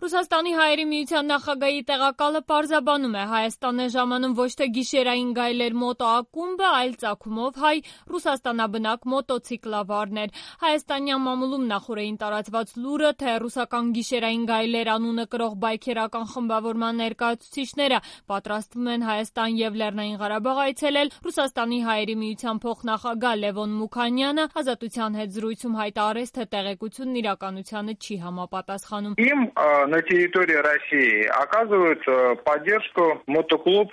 Ռուսաստանի հայերի միության նախագահի տեղակալը պարզաբանում է, Հայաստան է ժամանում ոչ թե գիշերային գայլեր մոտո ակումբը, այլ ծագումով հայ ռուսաստանաբնակ մոտոցիկլավարներ։ Հայաստանյան մամուլում նախօրեին տարածված լուրը, թե ռուսական գիշերային գայլեր անունը կրող բայքերական խմբավորման ներկայացուցիչները պատրաստվում են Հայաստան եւ Լեռնային Ղարաբաղ այցելել, Ռուսաստանի հայերի միության փոխնախագահ Լևոն Մուքանյանը Ազատության հետ զրույցում հայտարարեց, թե տեղեկությունն իրականությանը չի համապատասխանում։ На территории России оказывают поддержку мотоклуб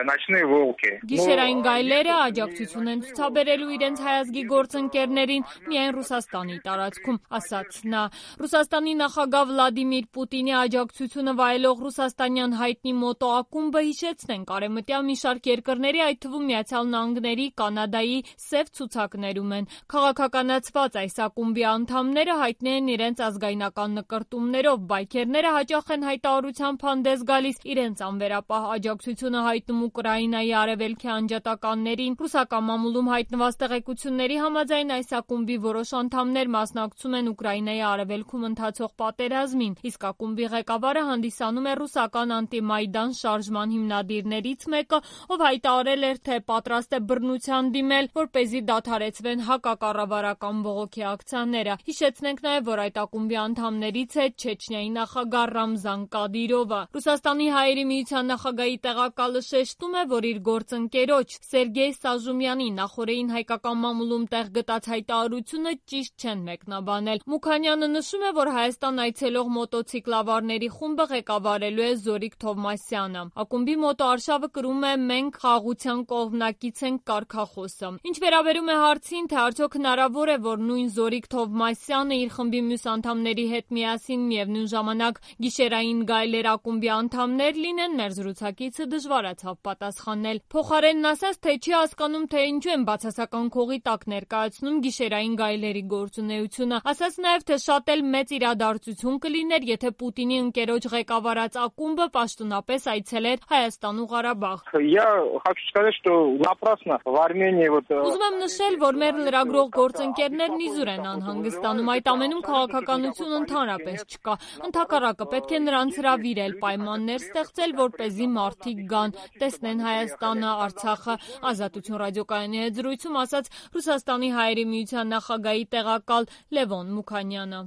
«Ночные волки». Գիշերային գայլերը աջակցություն են ցուցաբերելու իրենց հայազգի գործընկերներին միայն Ռուսաստանի տարածքում, ասաց նա։ Ռուսաստանի նախագահ Վլադիմիր Պուտինի աջակցությունը վայելող ռուսաստանյան հայտնի մոտո ակումբը հիշեցնենք արևմտյան մի շարք երկրների, այդ թվում Միացյալ Նահանգների, Կանադայի սև ցուցակներում են։ Քաղաքականացված այս ակումբի անդամները հայտնի են իրենց ազգայնական նկրտումներով, բայքերները հաճախ են հայտարարությամբ հանդես գալիս իրենց անվերապահ աջակցությունը հայտնում Ուկրաինայի արևելքի անջատականներին։ Ռուսական մամուլում հայտնված տեղեկությունների համաձայն այս ակումբի որոշ անդամներ մասնակցում են Ուկրաինայի արևելքում ընթացող պատերազմին, իսկ ակումբի ղեկավարը հանդիսանում է ռուսական անտիմայդան շարժման հիմնադիրներից մեկը, ով հայտարարել էր, թե պատրաստ է բռնության դիմել, որպեսզի դադարեցվեն հակակառավարական բողոքի ակցիաները։ Հիշեցնենք նաև, որ այդ ակումբի անդամներից է Չեչնիայի նախագահ Ռամզան Կադիրովը։ Ռուսաստանի հայերի միության նախագահի տեղակալը շեշտում է, որ իր գործընկերոջ Սերգեյ Սաժումյանի նախօրեին հայկական մամուլում տեղ գտած հայտարարությունը ճիշտ չեն մեկնաբանել։ Մուքանյանը նշում է, որ Հայաստան այցելող մոտոցիկլավարների խումբը ղեկավարելու է Զորիկ Թովմասյանը։ Ակումբի մոտո արշավը կրում է «Մենք խաղաղության կողմնակից ենք» կարգախոսը։ Ինչ վերաբերում է հարցին, թե արդյոք հնարավոր է, որ նույն Զորիկ Թովմասյանը իր խմբի մյուս անդամների հետ միասին միևնույն ժամանակ գիշերային գայլեր ակումբի անդամներ լինեն, մեր զրուցակիցը դժվարացավ պատասխանել։ Փոխարենն ասաց, թե չի հասկանում, թե ինչու են բացասական քողի տակ ներկայացնում գիշերային գայլերի գործունեությունը։ Ասաց նաև, թե շատ էլ մեծ իրադարձություն կլիներ, եթե Պուտինի ընկերոջ ղեկավարած ակումբը պաշտոնապես այցելեր Հայաստան ու Ղարաբաղ։ Ուզում եմ նշել, որ մեր լրագրող գործընկերներն իզուր են անհանգստանում, այդ ամենում քաղաքականություն ընդհանրապես չկա։ Ընդհակառակը պետք է նրանց հրավիրել, պայմաններ ստեղծել, որպեսզի մարդիկ գան, տեսնեն Հայաստանը, Արցախը։ Ազատություն ռադիոկայանի հետ զրույցում ասաց Ռուսաստանի հայերի միության նախագահի տեղակալ Լևոն Մուքանյանը։